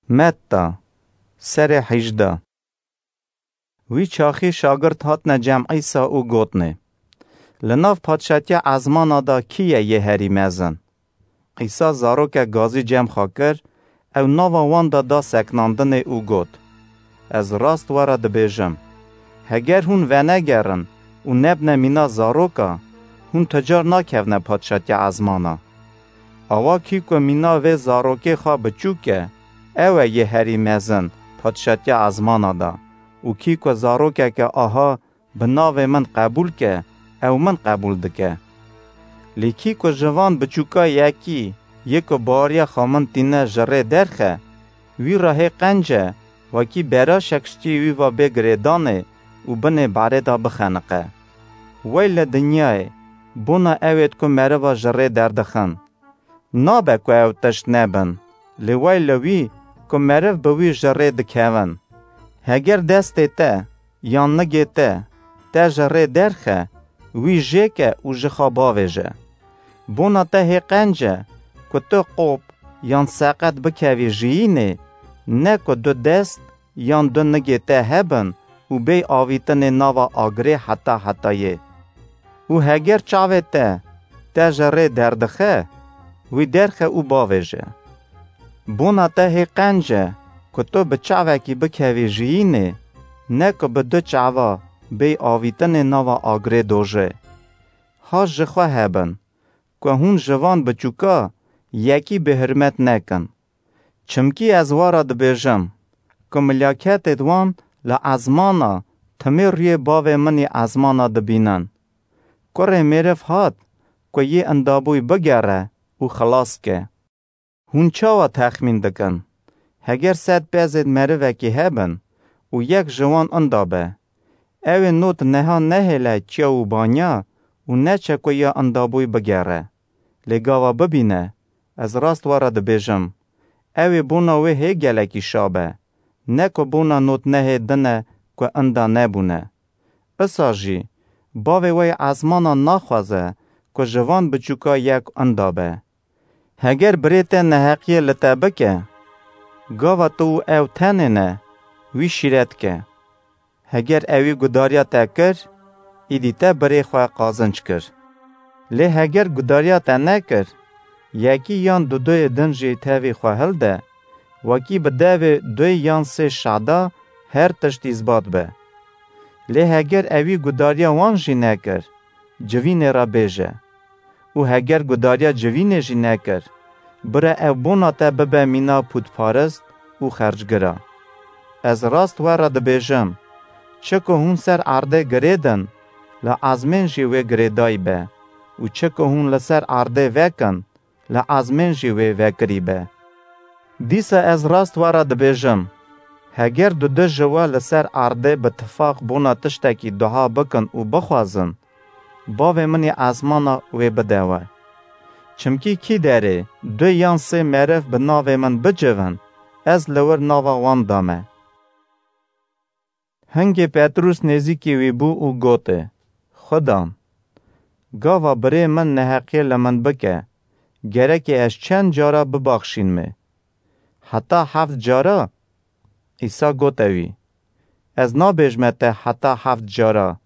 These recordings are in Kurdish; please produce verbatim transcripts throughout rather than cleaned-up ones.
Metta, serê hejdeh. Wî çaxî şagirt hatine cem Îsa û gotnê: Li nav padşatiya ezmana de kî ye yê herî mezin? Îsa zarokek gazî cem xwe kir, ew nava wan de da seknandinê û got: Ez rast we re dibêjim, heger hûn venegerin û nebine mîna zaroka, hûn ti car nakevine padşatiya ezmana. Awa kî ku mîna vê zarokê xwe biçûk e, ew e yê herî mezin padşatiya ezmana de, û kî ku zarokeke aha bi navê min qebûl ke, ew min qebûl dike. Lê kî ku ji van biçûka yekî yê ku baweriya xwe min tîne ji rê derxe, wî re hê qenc e, wekî beraşek stûyê wî ve bê girêdanê û binê barê de bixeniqe. Wey li dinyayê, bona ew êd ku meriva ji rê derdixin. Nabe ku ew tişt nebin, lê wey li wî ku meriv bi wî ji rê dikevin. Heger destê te yan nigê te, te ji rê derxe, wî jêke û ji xwe bavêje. Bona te hê qenc e ku tu qop yan seqet bikevî jiyînê, ne ku du dest yan du nigê te hebin û bêy avîtinê nava agirê heta hetayê. Û heger çavê te, te ji rê derdixe, wî derxe û bavêje. Bona te hê qenc e ku tu bi çavekî bikevî jiyînê, ne ku bi du çava bêy avîtinê nava agirê dojê. Haş ji xwe hebin ku hûn ji van biçûka yekî bêhurmet nekin. Çimkî ez we re dibêjim ku milaketêd wan li ezmana timê rûyê Bavê min ê ezmana dibînin. Kurê Mêriv hat ku yê indabûy bigere û xilas ke. Hûn çawa texmîn dikin? Heger sed pezêd merivekî hebin û yek ji wan inda be, ew ê not neha nehêle çiya û banya û neçe ku ya indabûy bigere, lê gava bibîne, ez rast we re dibêjim, ew ê bona wê hê gelekî şa be, ne ku bona not nehê din e ku inda nebûne. Isa jî, Bavê we yê ezmanan naxwaze ku ji van biçûka yek inda be. Heger birê te neheqiyê li te bike, gava tu û ew tenê ne, wî şîret ke. Heger ewî gudariya te kir, îdî te birê xwe qazinc kir. Lê heger gudariya te nekir, yekî yan duduyê din jî tevî xwe hilde, wekî bi devê duy yan sê şada her tişt îzbat be. Lê heger ewî gudariya wan jî nekir, civînê re bêje. Û heger gudariya civînê jî nekir, bire ew bona te bibe mîna pûtparist û xercgira. Ez rast we re dibêjim, çi ku hûn ser erdê girêdin, li ezmên jî wê girêdayî be û çi ku hûn li ser erdê vekin, li ezmên jî wê vekirî be. Dîsa ez rast we re dibêjim, heger dudu ji we li ser erdê bi tifaq bona tiştekî dua bikin û bixwazin, Bavê min ê ezmana wê bide we. Çimkî kî derê du yan sê meriv bi navê min bicivin, ez li wir nava wan dame. Hingê Petrûs nêzîkî wî bû û gotê: Xudan, gava birê min neheqiyê li min bike, gerekê ez çend cara bibaxşînmê? Heta heft cara? Îsa gote wî: Ez nabêjme te heta heft cara,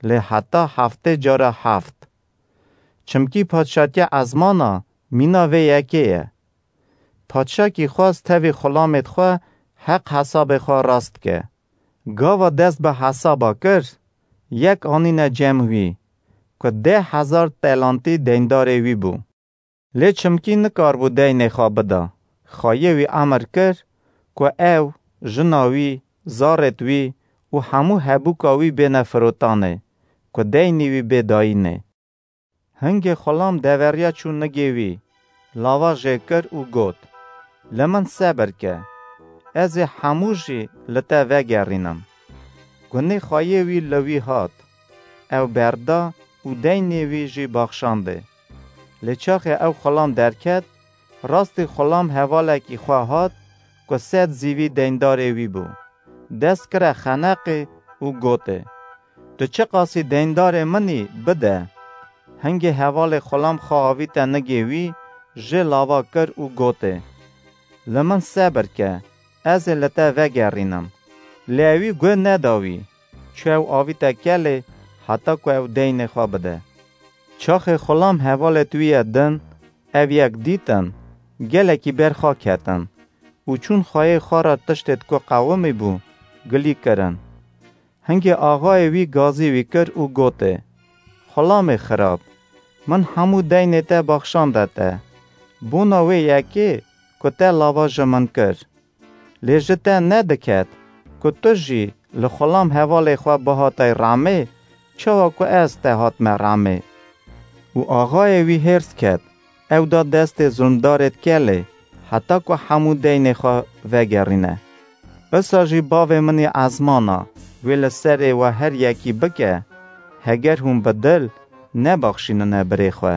lê heta heftê cara heft. Çimkî padşatiya ezmana mîna vê yekê ye. Padşakî xwest tevî xulamêd xwe heq hesabê xwe rast ke. Gava dest bi hesaba kir, yek anîne cem wî, ku deh hezar telantî deyndarê wî bû. Lê çimkî nikaribû deynê xwe bida, xwayê wî emir kir, ku ew, jina wî, zarêd wî û hemû hebûka wî bêne firotanê, ku deynê wî bê dayînê. Hingê xulam deveriya çû nigê wî, lava jê kir û got: Li min sebir ke, ez ê hemû jî li te vegerînim. Gunê xwayê wî li wî hat, ew berda û deynê wî jî baxşandê. Lê çaxê ew xulam derket, rastî xulam hevalekî xwe hat, ku sed zîvî deyndarê wî bû. Dest kire xeneqê û gotê: Tu çiqasî deyndarê min î, bide. Hingê hevalê xulam xwe avîte nigê wî, jê lava kir û gotê: Li min sebir ke, ez ê li te vegerînim. Lê ewî guh neda wî. Çû ew avîte kelê heta ku ew deynê xwe bide. Çaxê xulam hevalêt wî yê din ev yek dîtin, gelekî ber xwe ketin û çûn xweyê xwe re tiştêt ku qewimî bû, gilî kirin. Hingê axayê wî gazî wî kir û gotê, "Xulamê xirab, min hemû deynê te baxşande te. Bona wê yekê ku te lava ji min kir. Lê ji te nediket ku tu jî li xulam hevalê xwe bihatay ramê, çawa ku ez te hatme ramê." Û axayê wî hêrs ket, ew da destê zulmdarêt kelê, heta ku hemû deynê xwe vegerîne. Isa jî bavê min ê ezmana, wê li serê we her yekî bike, heger hûn bi dil nebaxşînine birê xwe.